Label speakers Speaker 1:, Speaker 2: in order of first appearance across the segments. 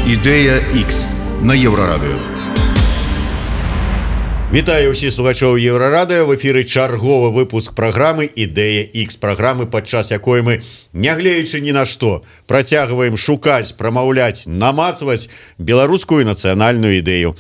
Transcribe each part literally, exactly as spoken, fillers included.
Speaker 1: Ідэя Х на Еўрарадыё.
Speaker 2: Вітаю ўсіх слухачоў Еўрарадыё. В эфіры чарговы выпуск праграмы «Ідэя Х», праграмы, падчас якой мы, нягледзячы ні на што, працягваем шукаць, прамаўляць, намацваць беларускую нацыянальную ідэю.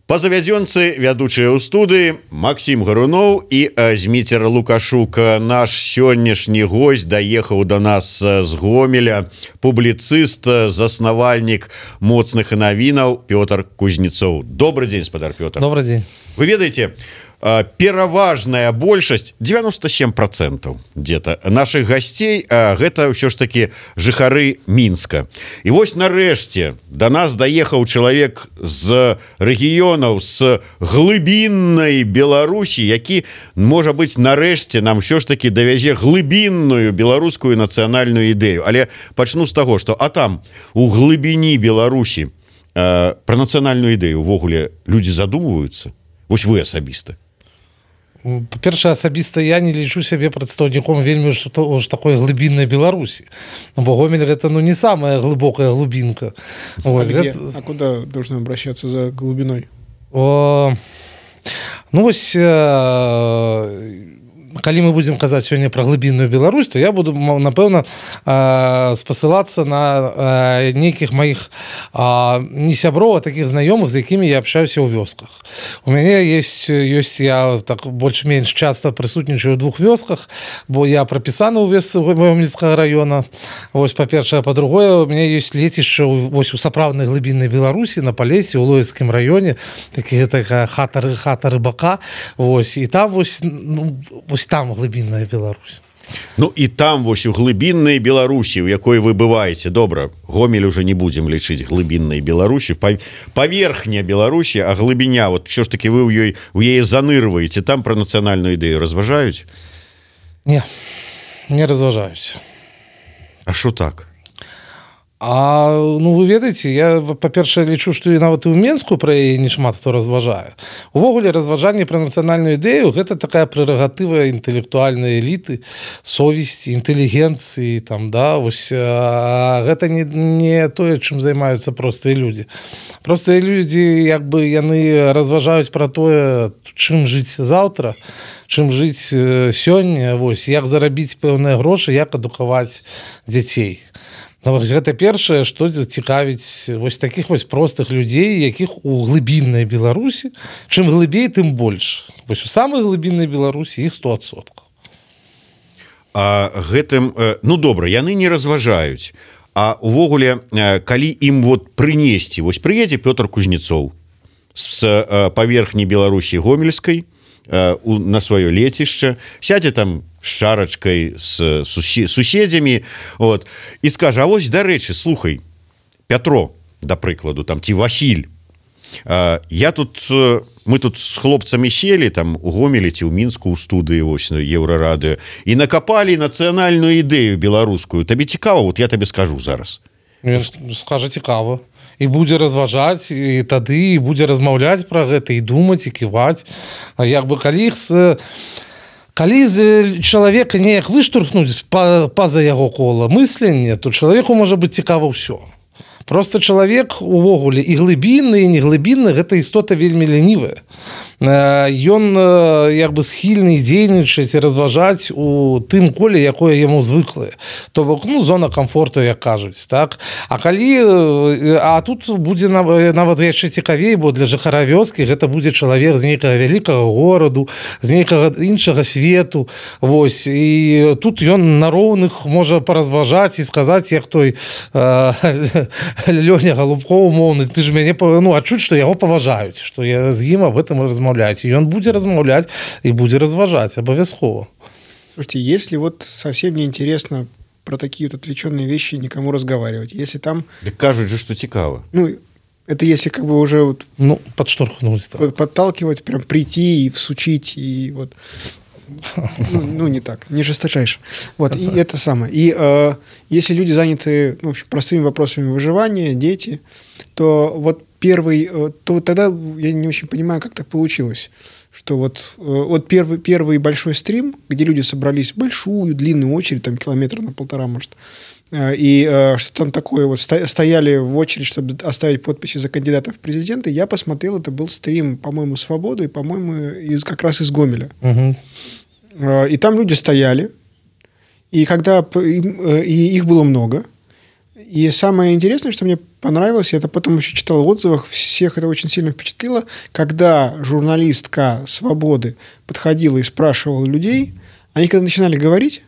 Speaker 2: Па завядзёнцы вядучыя ў студыі Максім Гаруноў і Зміцер Лукашук. Наш сённяшні госць даехаў да нас з Гомеля, публіцыст, заснавальнік моцных навінаў Пётр Кузнецоў. Добрый дзень, спадар Пётр.
Speaker 3: Добрый дзень.
Speaker 2: Вы ведаеце, пераважная большасць, девяносто семь процентов где-то наших гасцей, гэта ўсё ж таки жыхары Мінска. І вось нарэшце да нас даехаў чалавек з рэгіёнаў, з глыбіннай Беларусі, які, можа быць, нарэшце нам ўсё ж таки давязе глыбінную беларускую нацыянальную ідэю. Але пачну з таго, што а там у глыбіні Беларусі э, пра нацыянальную ідэю увогуле людзі задумваюцца. Вось вы асабіста.
Speaker 3: Па-першае, асабіста я не лічу сябе прадстаўніком вельмі ж такой глыбіннай Беларусі. Бо Гомель гэта ну не самая глыбокая глубинка.
Speaker 4: А, вот, где? Это... а куда должны обращаться за глубиной?
Speaker 3: О... Ну вось э... калі мы будзем казаць сёння пра глыбінную Беларусь, то я буду, напэўна, спасылацца на нейкіх маіх не сяброў, а такіх знаёмых, з якімі я абшаюся ў вёсках. У мяне есть, ёсць я так больш-менш часта прысутнічаю ў двух вёсках, бо я прапісаны ў вёсцы Гомельскага раёна. Вось, па-першае, па-другое, у мяне ёсць лецішча вось у сапраўднай глыбіннай Беларусі, на Палесе, ў Лоецкім раёне, такія такая хата, хата рыбака. Вось, і там вось, ну, вось там глыбінная Беларусь.
Speaker 2: Ну і там вось у глыбіннай Беларусі, у якой вы бываеце, добра, Гомель уже не будзем лічыць глыбіннай Беларусі, паверхня Беларусі, а глыбіня, вот що ж таки вы ў ёй у яе занырваеце, там пра нацыянальную ідэю разважаюць?
Speaker 3: Не, не разважаюць.
Speaker 2: А што так?
Speaker 3: А, ну, вы ведаеце, я, па-першае, лічу, што і нават і ў Менску пра яе не шмат хто разважае. Увогуле, разважанне пра нацыянальную ідэю – гэта такая прэрагатыва інтэлектуальнай эліты, совесці, інтэлігенцыі, там, да, вось, а, гэта не, не тое, чым займаюцца простыя людзі. Простыя людзі, як бы, яны разважаюць пра тое, чым жыць заўтра, чым жыць сёння, вось, як зарабіць пэўныя грошы, як адукаваць дзяцей. Ну, гэта першае, што цікавіць вось такіх вось простых людзей, якіх у глыбіннай Беларусі, чым глыбей, тым больш. Вось у самай глыбіннай Беларусі іх сто адсоткаў.
Speaker 2: А гэтым, ну добра, яны не разважаюць. А увогуле, калі ім вот прынесці, вось прыедзе Пётр Кузнецоў з паверхні Беларусі Гомельскай на сваё лецішча, сядзе там з шарачкай, з суседзямі, вот, і скажа, а вось, дарэчы, слухай, Пятро, да прыкладу, там, ці Васіль, я тут, мы тут з хлопцамі селі, там, у Гомелі ці ў Мінску, у студыі, вось, на Еўрарадыё, і накапалі нацыянальную ідэю беларускую. Табе цікава? Вот я табе скажу зараз.
Speaker 3: Скажа цікава. І будзе разважаць, і тады і будзе размаўляць пра гэта, і думаць, і ківаць. А як бы калі іх з... Калі з чалавека неяк выштурхнуць па-за яго кола мыслення, то чалавеку можа быць цікава ўсё. Просто чалавек увогуле і глыбінны, і неглыбінны, гэта істота вельмі лянівая. Ён як бы схільны дзейнічаць і разважаць у тым коле, якое яму звыклае. То бок, ну, зона комфорту, як кажуць, так? А калі... А тут будзе нават яшчэ цікавей, бо для жыхара вёскі гэта будзе чалавек з нейкага вялікага гораду, з нейкага іншага свету, вось. І тут ён на роўных можа паразважаць і сказаць, як той Лёня Голубков, умоўны, ты ж мяне, ну, адчуць, што яго паважаюць, што я з ім об этом размаўляю. И он будет размаўлять и будет разважать обовязково.
Speaker 4: Слушайте, если вот совсем не интересно про такие вот отвлеченные вещи никому разговаривать, если там...
Speaker 2: Да кажут же, что цікаво.
Speaker 4: Ну, это если как бы уже вот...
Speaker 3: Ну, подштурхнуть.
Speaker 4: Под, подталкивать, прям прийти и всучить, и вот... Ну, ну, не так, не жесточайше. Вот, и это самое. И э, если люди заняты, ну, простыми вопросами выживания, дети, то вот первый, то тогда я не очень понимаю, как так получилось, что вот, вот первый, первый большой стрим, где люди собрались в большую, длинную очередь, там километра на полтора, может, и что там такое, вот стояли в очередь, чтобы оставить подписи за кандидата в президенты, я посмотрел, это был стрим, по-моему, «Свободы», и, по-моему, из, как раз из Гомеля. Угу. И там люди стояли, и когда и их было много. И самое интересное, что мне понравилось, я это потом еще читал в отзывах, всех это очень сильно впечатлило, когда журналистка «Свободы» подходила и спрашивала людей, они когда начинали говорить,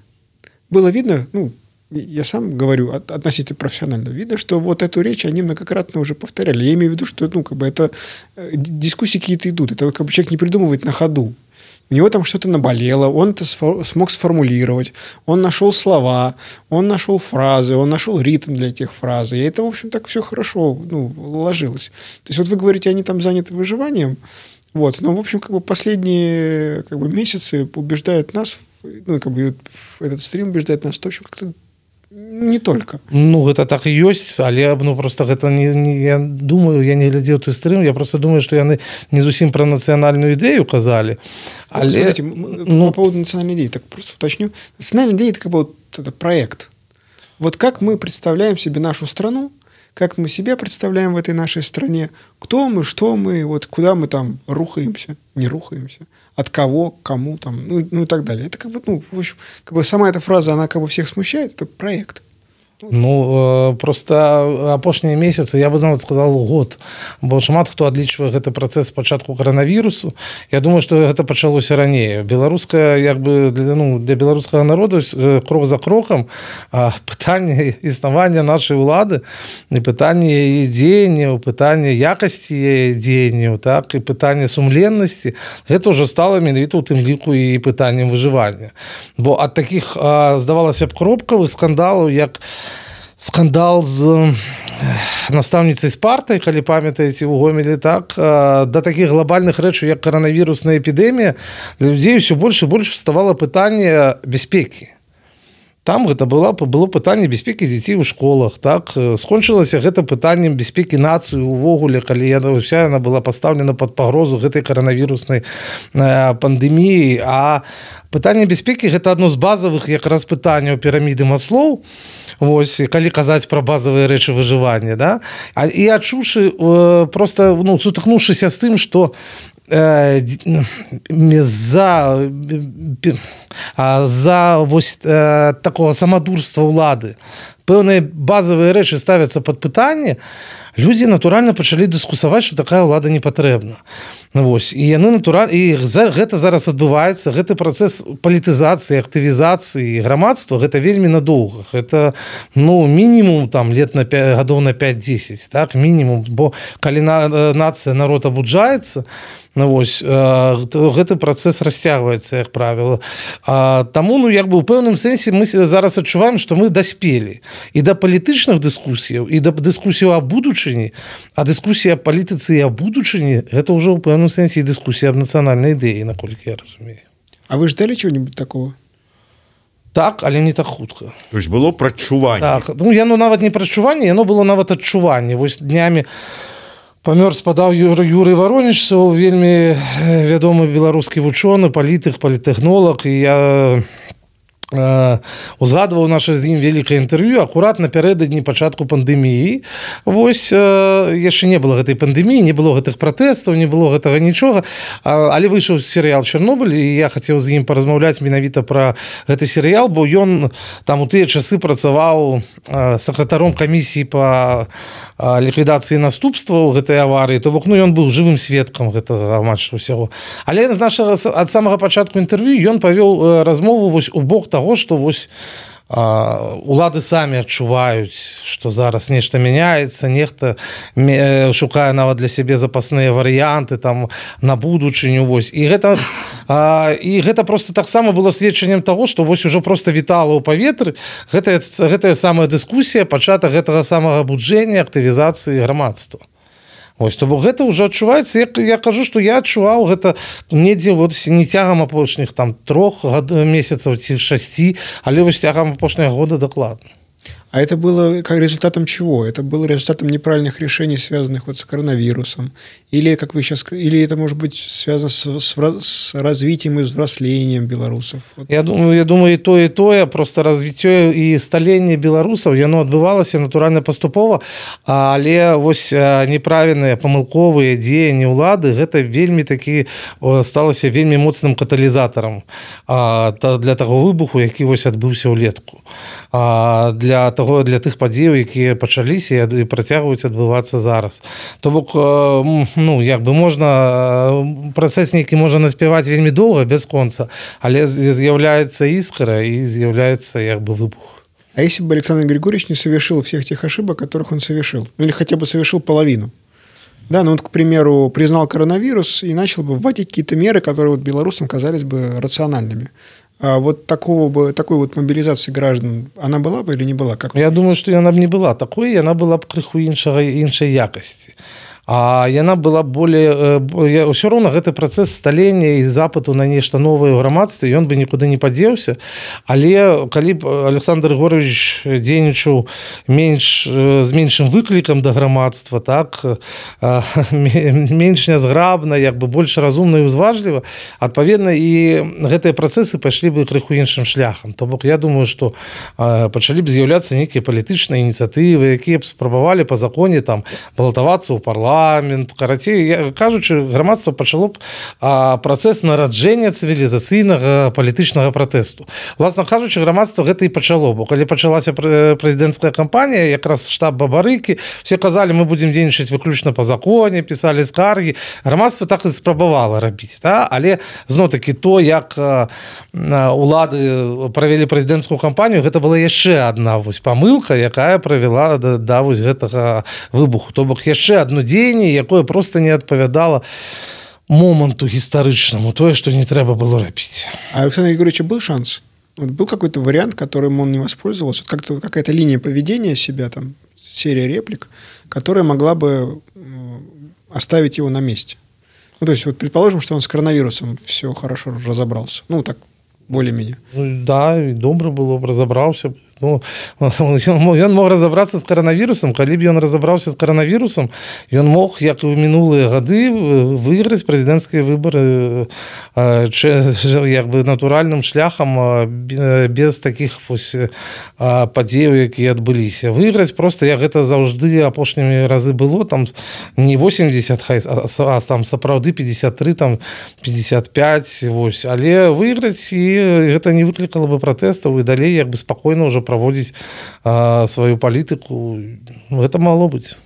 Speaker 4: было видно, ну, я сам говорю относительно профессионально, видно, что вот эту речь они многократно уже повторяли. Я имею в виду, что, ну, как бы это дискуссии какие-то идут, это как бы человек не придумывает на ходу. У него там что-то наболело, он это смог сформулировать, он нашел слова, он нашел фразы, он нашел ритм для этих фраз. И это, в общем, так все хорошо, ну, ложилось. То есть вот вы говорите, они там заняты выживанием, вот, но, в общем, как бы последние как бы, месяцы убеждают нас, ну, как бы этот стрим убеждает нас, что, в общем, как-то не только.
Speaker 3: Ну, гэта так і ёсць, але ну, просто гэта не, не, я думаю, я не глядзеў той стрым, я просто думаю, што яны не зусім пра нацыянальную ідэю казалі.
Speaker 4: Але... Смотрите, ну... по поводу национальной идеи, так просто уточню. Национальная идея – это как бы вот это проект. Вот как мы представляем себе нашу страну, как мы себя представляем в этой нашей стране, кто мы, что мы, вот куда мы там рухаемся, не рухаемся, от кого, кому там, ну, ну и так далее. Это как бы, ну, в общем, как бы сама эта фраза, она как бы всех смущает, это проект.
Speaker 3: Ну, просто апошнія месяцы, я бы нават сказал год, бо шмат хто адлічвае гэты працэс спачатку коронавірусу. Я думаю, што гэта пачалося раней. Беларуская, як бы, для, ну, для беларускага народу крок за крокам пытанне існавання нашай улады і пытанне яе дзеянняў, пытанне якасці яе дзеянняў, так, і пытанне сумленнасці, гэта ўжо стала менавіта ў тым ліку і пытаннем выжывання. Бо ад такіх, здавалася б, кропкавых скандалаў, як скандал з настаўніцай Спартай, калі памятаеце, у Гомелі, так, да такіх глобальных рэчаў, як коронавірусная эпідэмія, для людзей ўсё больш і больш вставала пытанне бяспекі. Там гэта было, было пытанне бяспекі дзяцей у школах, так, скончылася гэта пытаннем бяспекі нацыі увогуле, калі яна ўся яна была пастаўлена пад пагрозу гэтай коронавіруснай пандэміі, а пытанне бяспекі гэта адно з базавых якраз пытанняў піраміды Маслоў. Вось, калі казаць пра базавыя рэчы выжывання, да? А, і адчуўшы, э, просто, ну, сутыкнуўшыся з тым, што э, за, э, за вось, э, такого самадурства ўлады пэўныя базавыя рэчы ставяцца пад пытанне, людзі натуральна пачалі дыскусаваць, што такая ўлада не патрэбна. Вось, і яны натуральна, і за, гэта зараз адбываецца, гэты працэс палітызацыі, актывізацыі грамадства, гэта вельмі надоўга. Гэта, ну, мінімум там лет на пять, гадоў на пять-десять, так, мінімум, бо калі на, нацыя, народ абуджаецца, ну, вось, э, гэты працэс расцягваецца, як правіла. А, таму, ну, як бы, у пэўным сэнсе мы зараз адчуваем, што мы даспелі і да палітычных дыскусіяў, і да дыскусіяў аб будучыні, а дыскусія аб палітыцы і аб будучыні, гэта ўжо ў пэўным сэнсе і дыскусія аб нацыянальнай ідэі, наколькі я разумею.
Speaker 4: А вы ждали чего-нибудь такого?
Speaker 3: Так, але не так хутка.
Speaker 2: То есть было прадчуванне.
Speaker 3: Так, ну, яно нават не прадчуванне, яно было нават адчуванне. Вось днямі памёр спадаў Юрый Воронежцаў, вельмі вядомы беларускі вучоны, палітык, палітэхнолог, і я э, узгадваў наша з ім вялікае інтэрв'ю акурат напярэдадні пачатку пандэміі. Вось, э, яшчэ не было гэтай пандэміі, не было гэтых пратэстаў, не было гэтага нічога, але выйшаў серыял «Чарнобыль», і я хацеў з ім паразмаўляць менавіта пра гэты серыял, бо ён там у тыя часы працаваў э, сакратаром камісіі па ліквідацыі наступстваў гэтай аварыі, то бок, ну, ён быў жывым сведкам гэтага матча ўсяго. Але з нашага ад самага пачатку інтэрв'ю ён павёў размову вось у бок таго, што вось а, улады самі адчуваюць, што зараз нешта мяняецца, нехта шукае нават для сябе запасныя варыянты там на будучыню, вось. І гэта а, і гэта просто таксама было сведчаннем таго, што вось ужо просто вітала ў паветры гэтая, гэтая самая дыскусія, пачатак гэтага самага абуджэння, актывізацыі грамадства. Вось, то бок гэта ўжо адчуваецца, як я кажу, што я адчуваў гэта недзе вот не цягам апошніх там трох месяцаў ці шасці, але вось цягам апошняга года дакладна.
Speaker 4: А это было как результатом чего? Это было результатом неправильных решений, связанных вот с коронавирусом. Или, как вы сейчас, или это может быть связано с, с, с развитием и взрослением белорусов? Вот.
Speaker 3: Я думаю, я думаю, і то, і тое, просто развіццё і сталенне беларусаў, яно адбывалася натуральна паступова, але вось неправільныя памылковыя дзеянні ўлады, гэта вельмі такі сталася вельмі моцным каталізатарам для таго выбуху, які вось адбыўся ўлетку. Для того, для тых падзеяў, якія пачаліся і працягваюць адбывацца зараз. То бок, ну, як бы можна, працэс нейкі можа наспяваць вельмі доўга, без конца, але з'яўляецца іскра і з'яўляецца як бы выбух.
Speaker 4: А если бы Александр Григорьевич не совершил всех тех ошибок, которых он совершил? Ну, или хотя бы совершил половину? Да, ну вот, к примеру, признал коронавирус и начал бы вводить какие-то меры, которые вот белорусам казались бы рациональными. А вот такого бы, такой вот мобилизации граждан, она была бы или не была? Как
Speaker 3: Я думаю, что она бы не была такой, и она была бы крыху іншага, іншай якасці. А яна была более... Ўсё роўна гэты працэс сталення і запыту на нешта новае ў грамадстве, ён бы нікуды не падзеўся. Але калі б Александр Григорьевич дзейнічаў менш, з меншым выклікам да грамадства, так, менш нязграбна, як бы больш разумна і узважліва, адпаведна, і гэтыя працэсы пайшлі бы крыху іншым шляхам. То бок, я думаю, што пачалі б з'яўляцца нейкія палітычныя ініцыятывы, якія б спрабавалі па законе там балатавацца ў парламент, парламент, карацей, кажучы, грамадства пачало б а, працэс нараджэння цывілізацыйнага палітычнага пратэсту. Власна кажучы, грамадства гэта і пачало, бо калі пачалася прэзідэнцкая кампанія, якраз штаб Бабарыкі, все казалі, мы будзем дзейнічаць выключна па законе, пісалі скаргі. Грамадства так і спрабавала рабіць, да? Але зноў-такі то, як а, улады правялі прэзідэнцкую кампанію, гэта была яшчэ адна вось памылка, якая правяла да, да вось гэтага выбуху. То бок яшчэ адно дзеянне, якое просто не адпавядала моманту гістарычнаму, тое, што не трэба было рабіць.
Speaker 4: А у Александра Григорьевича был шанс? Вот был какой-то вариант, которым он не воспользовался? Как-то, какая-то линия поведения себя, там, серия реплик, которая могла бы оставить его на месте? Ну, то есть, вот предположим, что он с коронавирусом все хорошо разобрался. Ну, так, более-менее.
Speaker 3: Ну, да, і добра было б разабраўся. Ну, ён мог разабрацца з каранавірусам, калі б ён разабраўся з каранавірусам, ён мог, як і ў мінулыя гады, выйграць прэзідэнцкія выбары як бы натуральным шляхам, без такіх вось падзеяў, якія адбыліся. Выйграць проста, як гэта заўжды апошнімі разы было, там не восемьдесят, а там сапраўды пятьдесят три, там пятьдесят пять, вось, але выйграць, і гэта не выклікала бы пратэстаў, і далей як бы спакойна ўжо праводзіць а, сваю палітыку. Это могло быць.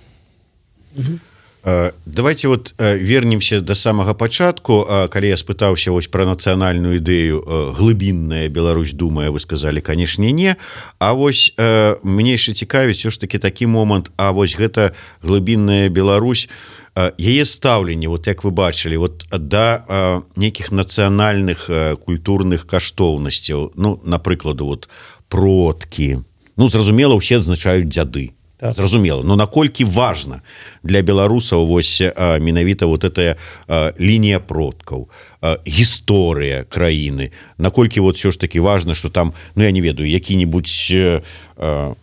Speaker 2: Давайте вот вернемся до самага пачатку. Калі я спытаўся вось пра нацыянальную ідэю, глыбінная Беларусь думае, вы сказали, канешне, не. А вось мне яшчэ цікавіць ўсё ж таки такі момант, а вось гэта глыбінная Беларусь, яе стаўленне, вот як вы бачылі, вот да нейкіх нацыянальных культурных каштоўнасцяў, ну, напрыкладу, вот продкі. Ну, зразумела, усе адзначаюць дзяды. Так. Зразумела. Но наколькі важна для беларусаў вось а, менавіта вот этая а, лінія продкаў, а, гісторыя краіны. Наколькі вот все ж таки важна, что там, ну, я не ведаю, які-нибудь а,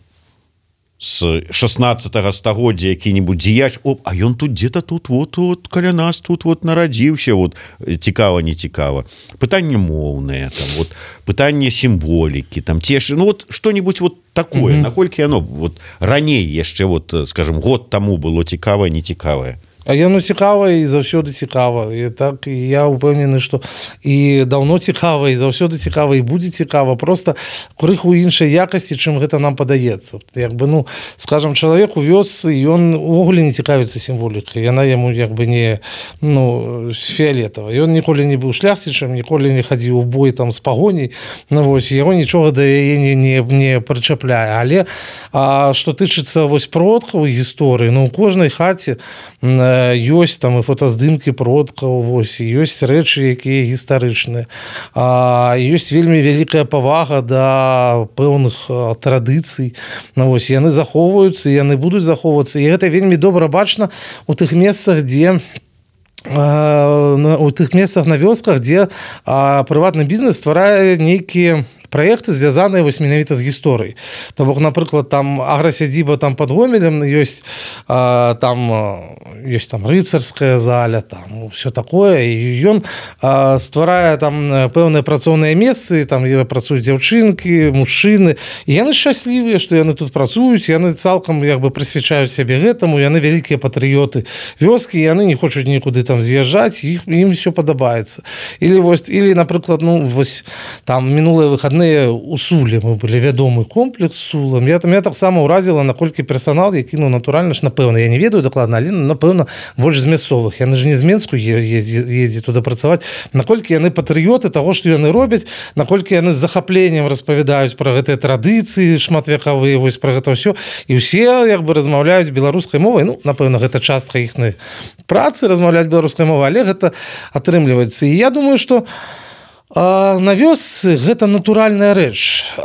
Speaker 2: с шестнадцатого стагоддзя які-нибудь дзеяч, оп, а ён тут где-то тут вот, вот каля нас тут вот нарадзіўся, вот цікава, не цікава. Пытанне моўнае, там вот пытанне сімволікі, там цешы, ну вот что-нибудь вот такое, mm-hmm. наколькі оно вот раней яшчэ вот, скажем, год таму было цікавае, не цікавае.
Speaker 3: А яно цікава і заўсёды цікава. І так і я ўпэўнены, што і даўно цікава, і заўсёды цікава, і будзе цікава. Просто крыху іншай якасці, чым гэта нам падаецца. Як бы, ну, скажам, чалавек у вёсцы, ён увогуле не цікавіцца сімволікай. Яна яму як бы не, ну, фіолетава. Ён ніколі не быў шляхцічам, ніколі не хадзіў у бой там з пагоняй. Ну, вось, яго нічога да яе не, не, не прычапляе. Але а, што тычыцца вось продкаў гісторыі, ну, у кожнай хаце ёсць там і фотаздымкі продкаў, вось, ёсць рэчы, якія гістарычныя. А, ёсць вельмі вялікая павага да пэўных традыцый. Ну, вось, яны захоўваюцца, яны будуць захоўвацца. І гэта вельмі добра бачна у тых месцах, дзе у тых месцах на вёсках, дзе а, прыватны бізнес стварае нейкія праекты звязаныя вось менавіта з гісторыяй. То бок, напрыклад, там аграсядзіба там пад Гомелем ёсць а, там ёсць там рыцарская заля, там все такое, і ён а, стварае там пэўныя працоўныя месцы, там працуюць дзяўчынкі, мужчыны, і яны шчаслівыя, што яны тут працуюць, яны цалкам як бы прысвячаюць сябе гэтаму, яны вялікія патрыёты вёскі, яны не хочуць нікуды там з'язджаць, іх ім все падабаецца. Или вось, или, напрыклад, ну вось там мінулыя выхадныя у Суле мы былі вядомы комплекс Сулам. Я там я таксама ўразіла, наколькі персанал, які ну натуральна ж напэўна, я не ведаю дакладна, але напэўна больш з мясцовых. Яны ж не з Менску ездзяць туды працаваць. Наколькі яны патрыёты таго, што яны робяць, наколькі яны з захапленнем распавядаюць пра гэтыя традыцыі шматвекавыя, вось пра гэта ўсё. І ўсе як бы размаўляюць беларускай мовай. Ну, напэўна, гэта частка іхнай працы размаўляць беларускай мовай, але гэта атрымліваецца. І я думаю, што на вёсцы гэта натуральная рэч,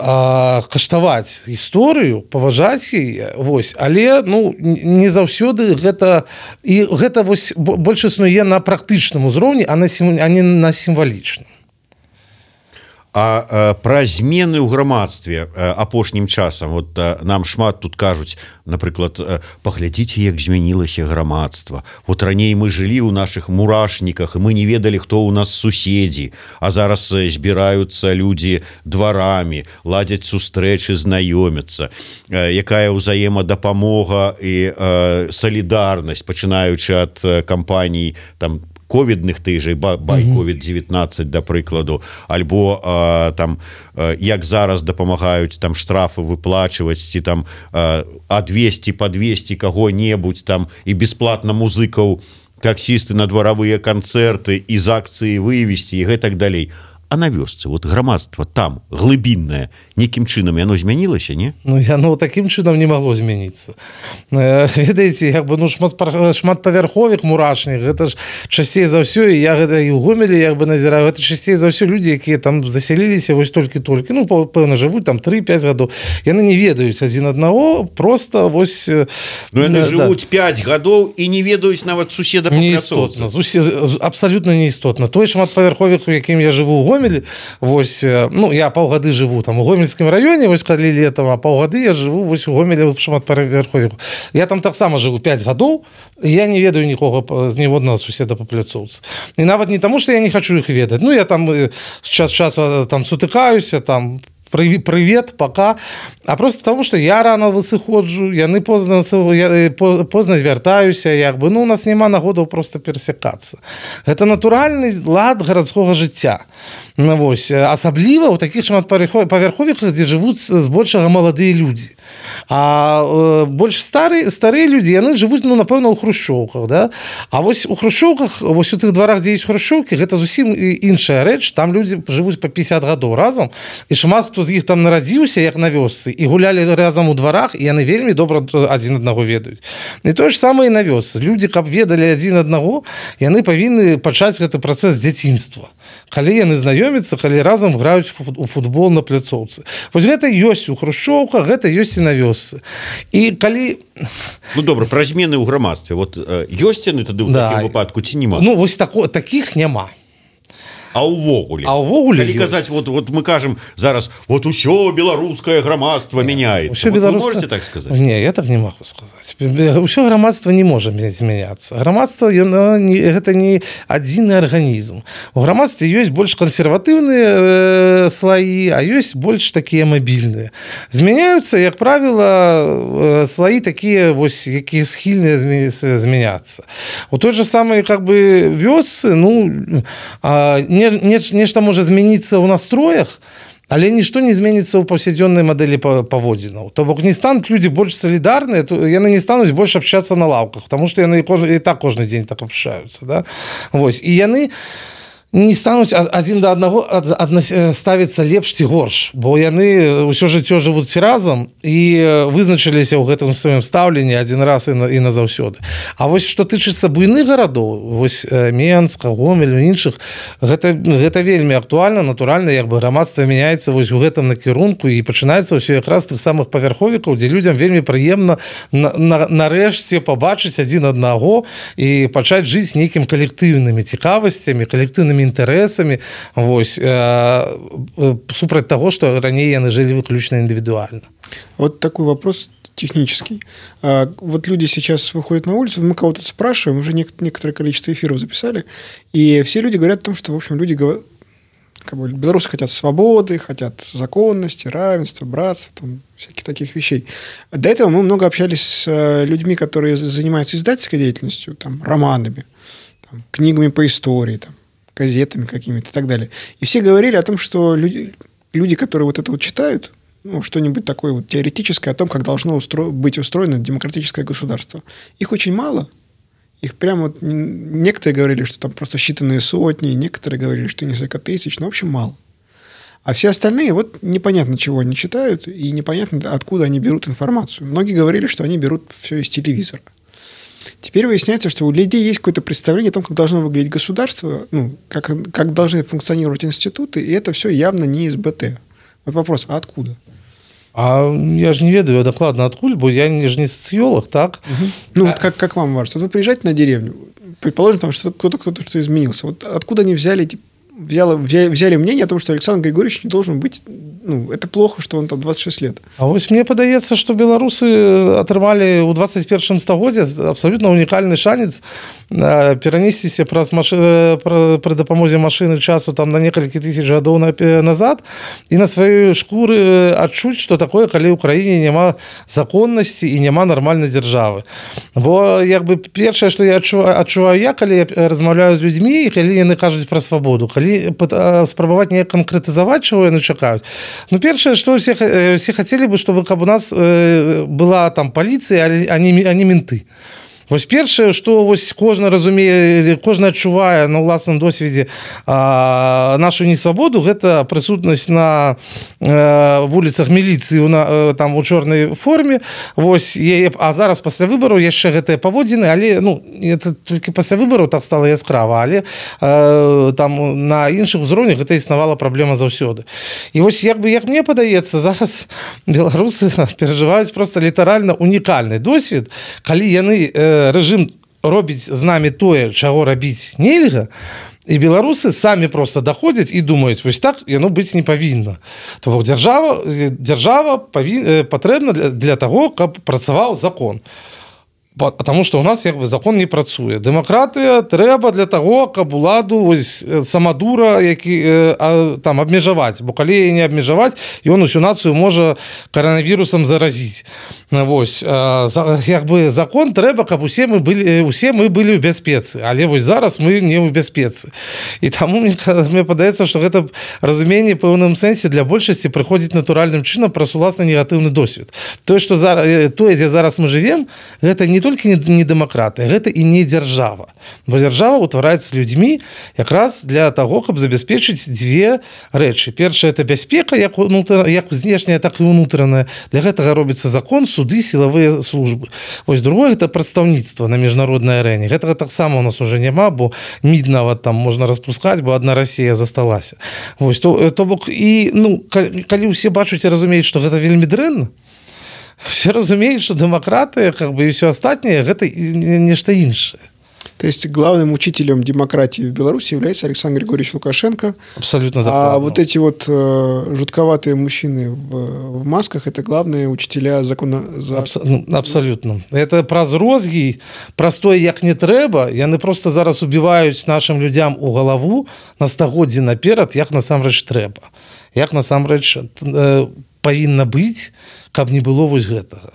Speaker 3: каштаваць гісторыю, паважаць яе, вось, але ну не заўсёды гэта і гэта вось больш існуе на практычным узроўні, а на а не на сімвалічным.
Speaker 2: А, а пра змены ў грамадстве апошнім часам вот нам шмат тут кажуць, напрыклад, паглядзіце, як змянілася грамадства. Вот раней мы жылі ў наших мурашніках, і мы не ведалі, хто ў нас суседзі, а зараз збіраюцца людзі дварамі, ладзяць сустрэчы, знаёмяцца, якая ўзаемадапамога і салідарнасць, пачынаючы ад кампаній там ковідных тыжай, бай ковід дзевятнаццаць, да прыкладу, альбо а, там а, як зараз дапамагаюць там штрафы выплачваць, ці там а, адвесці падвесці каго-небудзь там і бясплатна музыкаў, таксісты на дваравыя канцэрты і з акцыі вывесці і гэтак далей. А на вёсцы, вот грамадства там глыбіннае, нейкім чынам яно змянілася, не?
Speaker 3: Ну, яно такім чынам не магло змяніцца. Ведаеце, як бы, ну, шмат, шматпавярховых мурашных, гэта ж часцей за ўсё, і я гэта і ў Гомелі як бы назіраю, гэта часцей за ўсё людзі, якія там засяліліся вось толькі-толькі, ну, пэўна, жывуць там тры-пяць гадоў. Яны не ведаюць адзін аднаго, просто вось...
Speaker 2: Ну, яны да, жывуць пяць гадоў і не ведаюць нават суседа па пляцоўцы.
Speaker 3: Абсалютна неістотна. Той шматпавярховых, у якім я жыву ў Гомелі, вось, ну, я паўгады жыву там у Гомельскім раёне, вось калі летам, а паўгады я жыву вось у Гомелі шматпавярховых. Я там таксама жыву пяць гадоў, і я не ведаю нікога з ніводнага суседа па пляцоўцы. І нават не таму, што я не хачу іх ведаць. Ну, я там час часу там сутыкаюся, там привет, пока. А просто тому, что я рано высыходжу, яны позна, я позна звяртаюся, як бы, ну, у нас няма нагодаў просто перасякацца. Гэта натуральны лад гарадскога жыцця. Ну, вось, асабліва ў такіх шматпавярховіках, дзе жывуць збольшага маладыя людзі. А э, больш старыя, старыя людзі, яны жывуць, ну, напэўна, ў хрушчоўках, да? А вось у хрушчоўках, вось у тых дварах, дзе ёсць хрушчоўкі, гэта зусім іншая рэч. Там людзі жывуць па пятьдесят гадоў разам, і шмат хто з іх там нарадзіўся, як на вёсцы, і гулялі разам у дварах, і яны вельмі добра адзін аднаго ведаюць. І тое ж самае і на вёсцы. Людзі, каб ведалі адзін аднаго, яны павінны пачаць гэты працэс дзяцінства. Калі яны знаёмяцца, калі разам граюць у футбол на пляцоўцы. Вось гэта ёсць у хрушчоўках, гэта ёсць і на вёсцы. І калі...
Speaker 2: Ну, добра, пра змены ў грамадстве. Вот ёсць яны тады ў да. такім выпадку, ці нема?
Speaker 3: Ну, вось тако, такіх няма.
Speaker 2: А ўвогуле,
Speaker 3: а ўвогуле
Speaker 2: калі казаць, вот, вот мы кажам зараз, вот усё беларускае грамадства мяняецца.
Speaker 3: Усё
Speaker 2: вот
Speaker 3: беларускае...
Speaker 2: Вы можете так сказаць?
Speaker 3: Не, я так не могу сказаць. Усё грамадства не можа змяняцца. Грамадства, гэта не адзіны арганізм. У грамадстве ёсць больш кансерватыўныя э, слаі, а ёсць больш такія мабільныя. Змяняюцца, як правіла, э, слаі такія, вось, якія схільныя змяняцца. У той же самой, как бы, вёсцы, ну, э, не нешта можа змяніцца ў настроях, але нішто не зменіцца ў паўсядзённай мадэлі паводзінаў. То бок не стануць людзі больш салідарныя, то яны не стануць больш абчацца на лаўках, таму што яны і так кожны дзень так абчаюцца, да? Вось, і яны не стануць адзін да аднаго ставіцца лепш ці горш, бо яны ўсё жыццё жывуць разам і вызначыліся ў гэтым сваім стаўленні адзін раз і, на, і назаўсёды. А вось што тычыцца буйных гарадоў, вось Менска, Гомель, іншых, гэта, гэта вельмі актуальна, натуральна, як бы грамадства мяняецца вось у гэтым накірунку і пачынаецца ўсё якраз тых самых павярховікаў, дзе людзям вельмі прыемна на, на, нарэшце пабачыць адзін аднаго і пачаць жыць нейкім калектыўнымі цікавасцямі, калектыўнымі інтарэсамі, вось, э, супраць таго, што раней яны жылі выключна індывідуальна.
Speaker 4: Вот такой вопрос технический. А, вот люди сейчас выходят на улицу, мы кого-то спрашиваем, уже некоторое количество эфиров записали, и все люди говорят о том, что, в общем, люди говорят, как бы, белорусы хотят свободы, хотят законности, равенства, братства, там, всяких таких вещей. До этого мы много общались с людьми, которые занимаются издательской деятельностью, там, романами, там, книгами по истории, там, газетами какими-то и так далее. И все говорили о том, что люди, люди которые вот это вот читают, ну, что-нибудь такое вот теоретическое о том, как должно устро... быть устроено демократическое государство. Их очень мало. Их прямо вот... Некоторые говорили, что там просто считанные сотни, некоторые говорили, что несколько тысяч, но, в общем, мало. А все остальные, вот непонятно, чего они читают, и непонятно, откуда они берут информацию. Многие говорили, что они берут все из телевизора. Теперь выясняется, что у людей есть какое-то представление о том, как должно выглядеть государство, ну, как, как должны функционировать институты, и это все явно не из БТ. Вот вопрос, а откуда?
Speaker 3: А я же не ведаю докладно откуль, бо я же не социолог, так?
Speaker 4: Угу. Ну, а... вот как, как вам кажется? Вот вы приезжаете на деревню, предположим, там что кто-то, кто-то что изменился. Вот откуда они взяли эти Взяли, взяли мнение о том, что Александр Григорьевич не должен быть, ну, это плохо, что он там двадцать шесть лет.
Speaker 3: А вот мне падаецца, что беларусы атрымалі ў двадцать первом стагоддзе абсолютно унікальны шанец перанесціся праз машины, пры дапамозе машыны часу там на некалькі тысяч гадоў назад і на сваёй шкуры адчуць, что такое, калі ў краіне няма законнасці і няма нармальнай дзяржавы. Бо як бы першае, што я адчуваю, адчуваю я, калі я размаўляю з людзьмі і калі яны кажуць пра свабоду, калі спрабаваць неяк канкрэтызаваць, чаго яны чакаюць. Ну, першае, што все, все хацелі бы, чтобы каб у нас была там паліцыя, а не, а не менты. Вось першае, што вось кожны разумее, кожны адчувае на ўласным досведзе а, нашу несвабоду, гэта прысутнасць на а, вуліцах міліцыі у, на, там у чорнай форме. Вось, е, а зараз пасля выбараў яшчэ гэтыя паводзіны, але ну, это толькі пасля выбараў так стала яскрава, але а, там на іншых узроўнях гэта існавала праблема заўсёды. І вось як бы як мне падаецца, зараз беларусы перажываюць проста літаральна унікальны досвед, калі яны рэжым робіць з намі тое, чаго рабіць нельга, і беларусы самі проста даходзяць і думаюць, вось так яно быць не павінна. То бок дзяржава, дзяржава павін... патрэбна для, для таго, каб працаваў закон. Потому что у нас як бы закон не працуе. Дэмакратыя трэба для таго, каб уладу вось самадура які а, там абмежаваць, бо калі не абмежаваць, ён усю нацыю можа каранавірусам заразіць. Вось а, як бы закон трэба, каб усе мы былі усе мы былі ў бяспецы, але вось зараз мы не ў бяспецы. І таму мне, мне падаецца, што гэта разуменне пэўным сэнсе для большасці прыходзіць натуральным чынам праз уласны негатыўны досвед. Тое, што зараз тое, дзе зараз мы жывем, гэта не толькі не, не дэмакратыя, гэта і не дзяржава. Бо дзяржава ўтвараецца людзьмі якраз для таго, каб забяспечыць дзве рэчы. Першае это бяспека, як унутр... як знешняя, так і унутраная. Для гэтага робіцца закон, суды, сілавыя службы. Вось другое это прадстаўніцтва на міжнароднай арэне. Гэтага таксама у нас уже няма, бо мід нават там можна распускаць, бо адна Расія засталася. Вось то, то бок і ну калі ўсе бачаць і разумеюць, што гэта вельмі дрэнна, все разумеют, что демократия, как бы и все остальное, это нечто иншее.
Speaker 4: То есть главным учителем демократии в Беларуси является Александр Григорьевич Лукашенко.
Speaker 3: Абсолютно
Speaker 4: а
Speaker 3: докладно.
Speaker 4: А вот эти вот э, жутковатые мужчины в, в масках, это главные учителя закона... За...
Speaker 3: Абс... Ну, абсолютно. Это праз розги, простое як не трэба, яны просто зараз убиваюць нашим людям у галаву на стагоддзі наперад, як насамрэч трэба. Як насамрэч э, павінна быць, каб не было вось гэтага.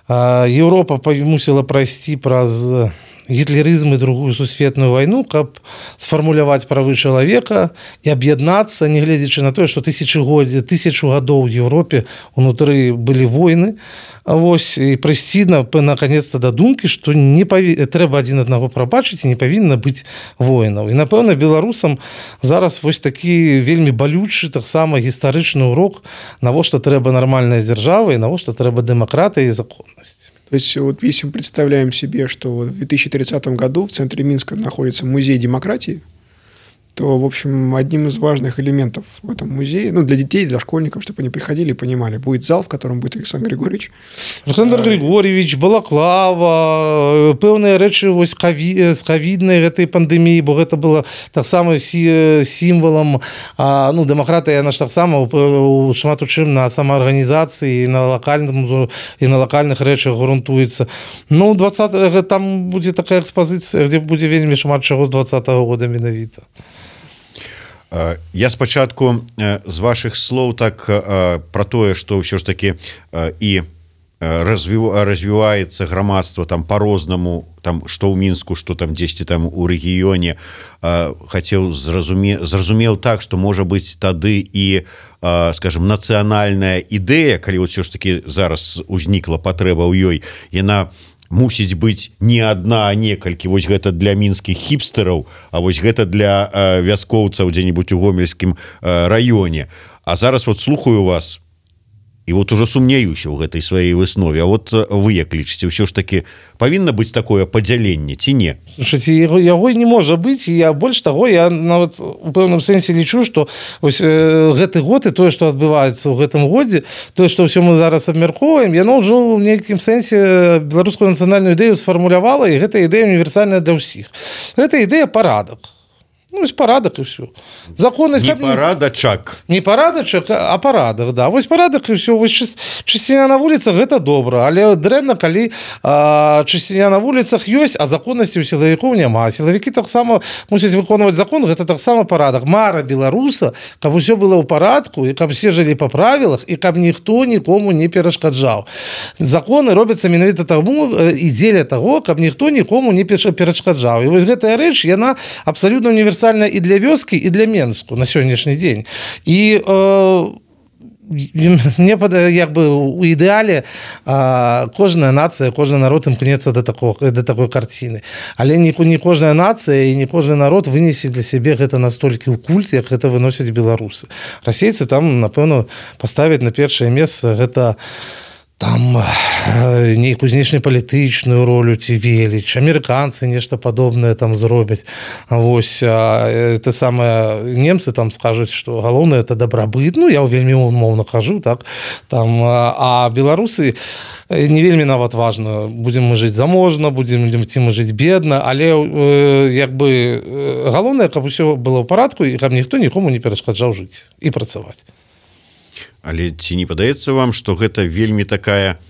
Speaker 3: А Еўропа мусіла прайсці праз гітлерызм і другую сусветную вайну, каб сфармуляваць правы чалавека і аб'яднацца, не гледзячы на тое, што тысячагоддзі, тысячу гадоў у Еўропе унутры былі войны, а вось і прыйсці на наконец-то да думкі, што не паві... трэба адзін аднаго прабачыць і не павінна быць воінаў. І напэўна беларусам зараз вось такі вельмі балючы таксама гістарычны урок, навошта трэба нармальная дзяржава і навошта трэба дэмакратыя і законнасць.
Speaker 4: То есть вот если мы представляем себе, что в две тысячи тридцатом году в центре Минска находится музей демократии, что, в общем, одним из важных элементов в этом музее, ну, для детей, для школьников, чтобы они приходили и понимали, будет зал, в котором будет Александр Григорьевич.
Speaker 3: Александр Григорьевич, балаклава, пэўныя рэчы вось з ковіднай гэтай пандэміі, бо гэта было таксама сімвалам, ну, дэмакратыя, яна ж таксама шмат у чым на самаарганізацыі, на лакальным і на лакальных рэчах грунтуецца. Ну, двадцатого там будзе такая экспазіцыя, дзе будзе вельмі шмат чаго з двадцатого года менавіта.
Speaker 2: Я спачатку з вашых слоў так пра тое, што ўсё ж такі і развіваецца грамадства там по-рознаму, там што ў Мінску, што там дзесьці там у рэгіёне, хацеў зразуме зразумеў так, што можа быць тады і, скажем, нацыянальная ідэя, калі ўсё ж такі зараз узнікла патрэба ў ёй, яна мусіць быць не адна, а некалькі. Вось гэта для мінскіх хіпстэраў, а вось гэта для э, вяскоўцаў дзе-небудзь у гомельскім э, раёне. А зараз вот слухаю вас і вот ужо сумняюся ў гэтай сваёй выснове. А вот вы як лічыце, ўсё ж такі павінна быць такое падзяленне ці не?
Speaker 3: Слушайте, яго, яго не можа быць, і я больш таго, я нават у пэўным сэнсе лічу, што ось э, гэты год і тое, што адбываецца ў гэтым годзе, тое, што ўсё мы зараз абмяркоўваем, яно ўжо ў нейкім сэнсе беларускую нацыянальную ідэю сфармулявала, і гэта ідэя універсальная для ўсіх. Гэта ідэя парадак. Ну, вось парадак і ўсё. Законнасць...
Speaker 2: Не парадачак.
Speaker 3: Не парадачак, а парадак, да. Вось парадак і ўсё. Вось чысціня на вуліцах – гэта добра, але дрэнна, калі а, чысціня на вуліцах ёсць, а законнасці ў сілавікоў няма. Сілавікі таксама мусяць выконваць закон, гэта таксама парадак. Мара беларуса, каб усё было ў парадку, і каб все жылі па правілах, і каб ніхто нікому не перашкаджаў. Законы робяцца менавіта таму і дзеля таго, каб ніхто нікому не перашкаджаў. І вось гэтая рэч, яна абсалютна універсальная і для вёскі, і для Менску на сённяшні дзень. І э, мне падае, як бы у ідэале э, кожная нацыя, кожны народ імкнецца да такого, да такой карціны. Але не, не кожная нацыя і не кожны народ вынесе для сябе гэта настолькі ў культ, як гэта выносяць беларусы. Расейцы там, напэўна, паставяць на першае месца гэта там нейкую знешнепалітычную ролю ці веліч, амерыканцы нешта падобнае там зробяць. Вось это самае, немцы там скажуць, што галоўнае это дабрабыт. Ну, я вельмі умоўна кажу, так, там, а беларусы не вельмі нават важна, будзем мы жыць заможна, будзем ці мы жыць бедна, але як бы галоўнае, каб усё было ў парадку і каб ніхто нікому не перашкаджаў жыць і працаваць.
Speaker 2: Але ці не падаецца вам, што гэта вельмі такая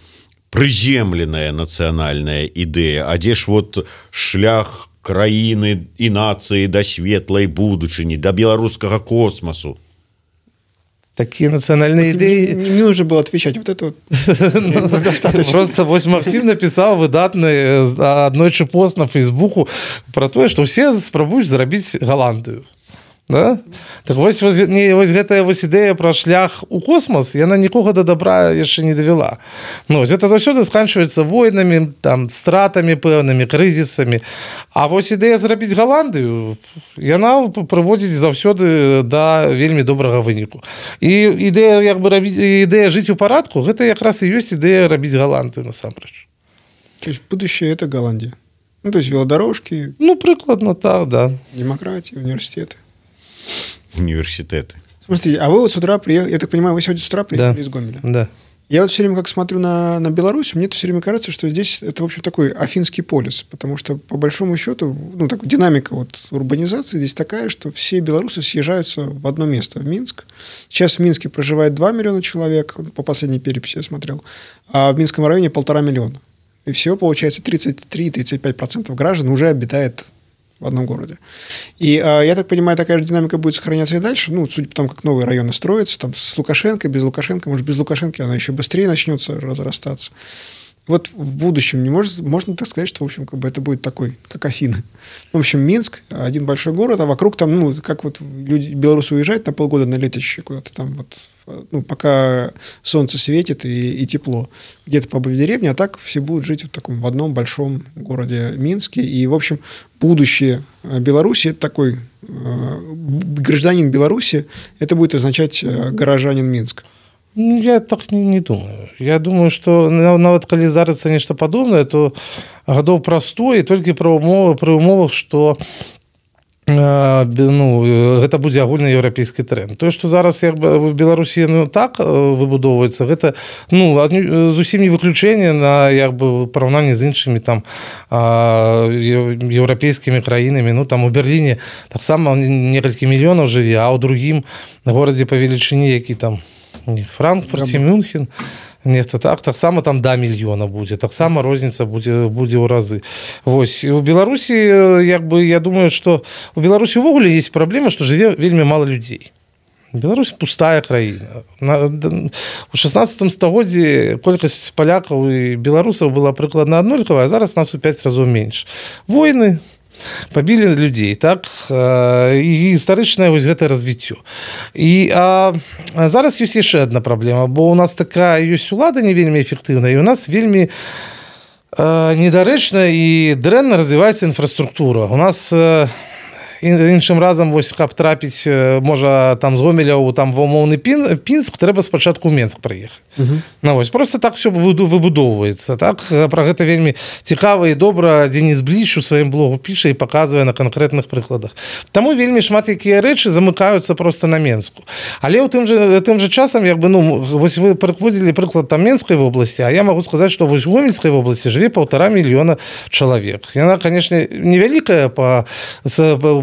Speaker 2: прыземленая нацыянальная ідэя, а дзе ж вот шлях краіны і нацыі да светлай будучыні, да беларускага космасу?
Speaker 3: Такие национальные идеи...
Speaker 4: Не, не нужно было отвечать. Вот это вот достаточно.
Speaker 3: Просто вось Максим написал выдатный аднойчы пост на Фейсбуку про тое, што все спрабуюць зрабіць Галандыю. Да? Так вось, вось, не, вось гэтая вось ідэя пра шлях у космос, яна нікога да добра яшчэ не давяла. Ну, гэта заўсёды сканчваецца войнамі, там, стратамі пэўнымі, крызісамі. А вось ідэя зрабіць Галандыю, яна прыводзіць заўсёды да вельмі добрага выніку. І ідэя, як бы, рабіць, ідэя жыць у парадку, гэта якраз і ёсць ідэя рабіць Галандыю насамрэч.
Speaker 4: То есть будущее – это Голландия. Ну, то есть велодорожки.
Speaker 3: Ну, прыкладна так, да.
Speaker 4: Демократия, университеты.
Speaker 2: Университеты.
Speaker 4: Смотрите, а вы вот с утра приехали, я так понимаю, вы сегодня с утра приехали
Speaker 3: да.
Speaker 4: из Гомеля.
Speaker 3: Да.
Speaker 4: Я вот все время как смотрю на, на Беларусь, мне все время кажется, что здесь это, в общем, такой афинский полис, потому что, по большому счету, ну, так, динамика вот урбанизации здесь такая, что все белорусы съезжаются в одно место, в Минск. Сейчас в Минске проживает два миллиона человек, по последней переписи я смотрел, а в Минском районе полтора миллиона. И всего, получается, тридцать три - тридцать пять процентов граждан уже обитает в одном городе. И, э, я так понимаю, такая же динамика будет сохраняться и дальше. Ну, судя по тому, как новые районы строятся, там, с Лукашенко, без Лукашенко, может, без Лукашенко она еще быстрее начнется разрастаться. Вот в будущем не может, можно так сказать, что, в общем, как бы это будет такой, как Афины. В общем, Минск – один большой город, а вокруг там, ну, как вот люди, белорусы уезжают на полгода на летище куда-то там вот, ну, пока солнце светит и, и тепло. Где-то побыть в деревне, а так все будут жить в таком, в одном большом городе Минске. И, в общем, будущее Беларуси – это такой э, гражданин Беларуси, это будет означать э, горожанин Минска.
Speaker 3: Ну, я так не, не думаю. Я думаю, што нават калі здарыцца нешта падобнае, то гадоў праз сто і толькі пры умовах, пры умовах, што ну гэта будзе агульнаеўрапейскі тренд. Тое, што зараз як бы в Беларусі ну, так выбудоўваецца, гэта ну зусім не выключэнне на як бы параўнанні з іншымі там еўрапейскімі краінамі. Ну там у Берліне таксама некалькі мільёнаў жыве, а ў другім горадзе па велічыні, які там Франкфурт ці Мюнхен, нехта так, таксама там да мільёна будзе, таксама розніца будзе будзе ў разы. Вось у Беларусі як бы я думаю, што у Беларусі ўвогуле ёсць праблема, што жыве вельмі мала людзей. Беларусь пустая краіна. У шаснаццатым стагоддзі колькасць палякаў і беларусаў была прыкладна аднолькавая, а зараз нас у пяць разоў менш. Войны пабілі людзей, так, і гістарычнае вось гэтае развіццё. І а, а зараз ёсць яшчэ адна праблема, бо у нас такая ёсць улада не вельмі эфектыўная, і у нас вельмі а, недарэчна і дрэнна развіваецца інфраструктура. У нас а, іншым разам вось каб трапіць можа там з Гомеля там ва умоўны Пінск, трэба спачатку ў Менск прыехаць. Uh-huh. Ну, вось просто так все выбудоўваецца, так, пра гэта вельмі цікава і добра Дзеніс Бліч у сваім блогу піша і паказвае на канкрэтных прыкладах. Таму вельмі шмат якія рэчы замыкаюцца просто на Менску. Але ў тым жа тым жа часам як бы ну вось вы прыводзілі прыклад там Менскай вобласці, а я магу сказаць, што вось у Гомельскай вобласці жыве паўтара мільёна чалавек. Яна, канешне, невялікая па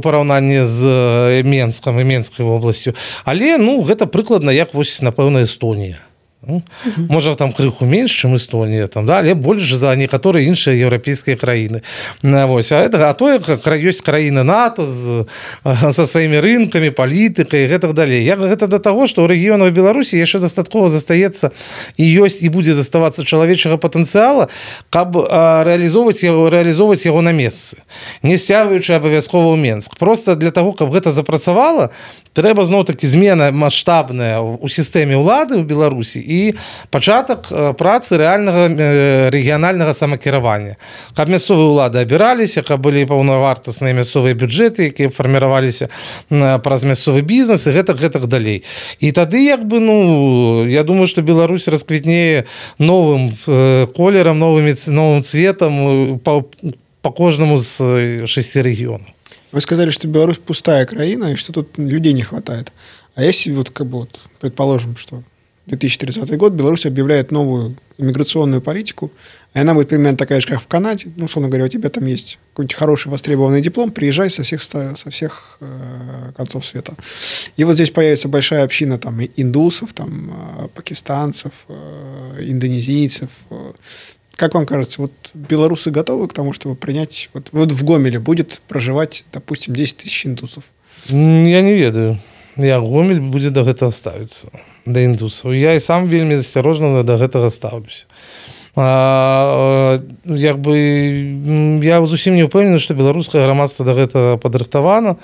Speaker 3: параўнанні з Менскам і Менскай вобласцю, але ну гэта прыкладна як вось напэўна Эстонія. Ну, uh-huh. Можа там крыху менш, чым Эстонія, там, да, але больш за некаторыя іншыя еўрапейскія краіны. Вось, а, это, а то ёсць краіны НАТО з, са сваімі рынкамі, палітыкай і гэтак далей. Як гэта да таго, што ў рэгіёнах Беларусі яшчэ дастаткова застаецца і ёсць і будзе заставацца чалавечага патэнцыяла, каб а, рэалізоўваць яго, рэалізоўваць яго на месцы, не сцягваючы абавязкова ў Менск. Проста для таго, каб гэта запрацавала, трэба зноў-такі змена маштабная ў сістэме ўлады ў Беларусі і пачатак працы рэальнага рэгіянальнага самакіравання. Каб мясцовыя ўлады абіраліся, каб былі паўнавартасныя мясцовыя бюджэты, якія фарміраваліся праз мясцовы бізнес і гэтак гэтак далей. І тады як бы ну я думаю, што Беларусь расквітнее новым колерам, новым новым цветам па, па кожнаму з шасці рэгіёнаў.
Speaker 4: Вы сказали, что Беларусь пустая краина, и что тут людей не хватает. А если вот как бы вот, предположим, что две тысячи тридцатый год Беларусь объявляет новую иммиграционную политику, и она будет примерно такая же, как в Канаде, ну, условно говоря, у тебя там есть какой-нибудь хороший востребованный диплом, приезжай со всех, со всех э, концов света. И вот здесь появится большая община там индусов, там, э, пакистанцев, э, индонезийцев. Э. Как вам кажется, вот белорусы готовы к тому, чтобы принять... Вот, вот в Гомеле будет проживать, допустим, десять тысяч индусов?
Speaker 3: Я не ведаю. Я Гомель будзе да гэтага ставіцца, да індусаў. Я і сам вельмі асцярожна да гэтага ставлюся. А, як бы, я зусім не ўпэўнены, што беларускае грамадства да гэтага падрыхтавана.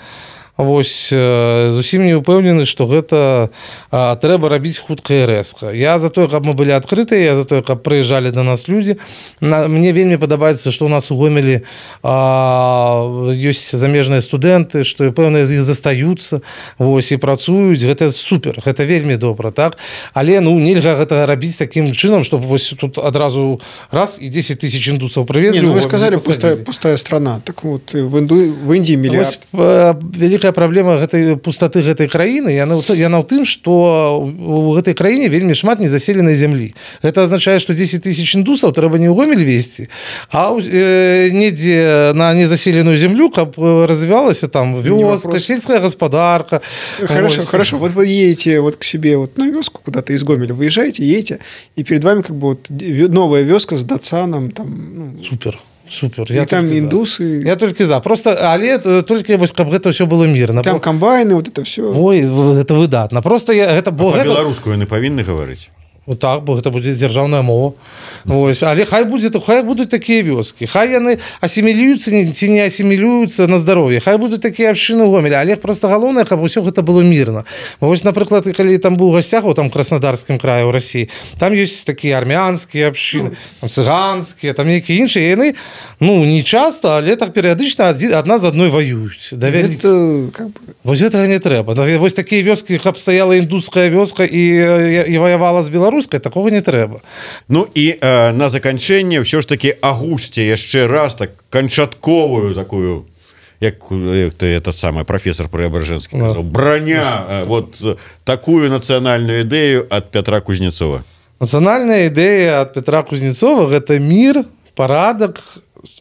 Speaker 3: Вось зусім не ўпэўнены, што гэта а, трэба рабіць хутка і рэзка. Я за тое, каб мы былі адкрытыя, я за тое, каб прыязджалі да нас людзі. На, мне вельмі падабаецца, што ў нас у Гомелі а, ёсць замежныя студэнты, што пэўныя з іх застаюцца, вось, і працуюць. Гэта супер, гэта вельмі добра, так? Але ну нельга гэта рабіць такім чынам, чтобы вось тут адразу раз і десять тысяч індусаў прывезлі.
Speaker 4: Не, ну вы сказали, пустая, пустая страна. Так вот, в, Инду, в Индии миллиард.
Speaker 3: Вось, праблема гэтай пустаты гэтай краіны яна, яна ў тым, што у гэтай краіне вельмі шмат незаселенай зямлі. Гэта азначае, што десять тысяч індусаў трэба не ў Гомель везці, а э, недзе на незаселеную зямлю, каб развівалася там вёска, сельская гаспадарка.
Speaker 4: Хорошо,
Speaker 3: вот.
Speaker 4: Хорошо. Вот вы едете вот к себе вот на вёску куда-то из Гомеля, выезжаете, едете, и перед вами как бы вот новая вёска с Датсаном. Там, ну...
Speaker 3: Супер. Супер.
Speaker 4: И
Speaker 3: я
Speaker 4: там индусы.
Speaker 3: За. Я только за. Просто, але только вось каб гэта все было мирно.
Speaker 4: Там комбайны, вот это все.
Speaker 3: Ой, это выдатна. Просто я гэта бо
Speaker 2: гэта... По-беларуску яны павінны гаварыць.
Speaker 3: Вот так, бо гэта будзе дзяржаўная мова. Вось, але хай будзе, хай будуць такія вёскі. Хай яны асімілююцца ці не асімілююцца на здароўе. Хай будуць такія абшчыны ў Гомелі, але просто галоўнае, каб усё гэта было мірна. Вось, напрыклад, калі там быў у гасцях у там Краснодарскім краі ў Расіі, там ёсць такія армянскія абшчыны, там цыганскія, там нейкія іншыя, яны ну не часта, але так перыядычна адна з адной ваююць. Давялі...
Speaker 4: Это как бы...
Speaker 3: Вось гэтага не трэба. Вось такія вёскі, каб стаяла індуская вёска і, і ваявала з Беларусі, рускай, такого не трэба.
Speaker 2: Ну і э, на заканчэнне ўсё ж таки агучце яшчэ раз так канчатковую такую як ты это самое профессор Преображенский казал, броня, вот такую национальную идею от Петра Кузнецова.
Speaker 3: Национальная идея от Петра Кузнецова – это мир, парадок,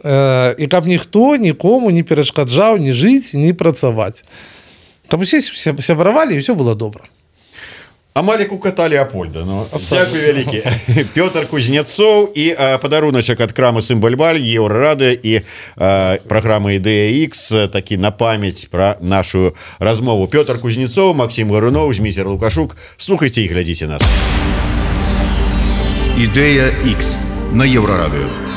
Speaker 3: э, и каб ніхто нікому не перашкаджаў не жыць, не працаваць. Каб усе сябравалі, і все было добра.
Speaker 2: Амалік у кота Леопольда. Ну, дзякуй вялікі. Пётр Кузнецоў і а, падаруначак ад крамы Сімбальбаль, Еўрарадыё і а, праграма Ідэя Ікс, такі на памяць пра нашу размову. Пётр Кузнецоў, Максім Гаруноў, Зміцер Лукашук. Слухайце і глядзіце нас.
Speaker 1: Ідэя Ікс на Еўрарадыё.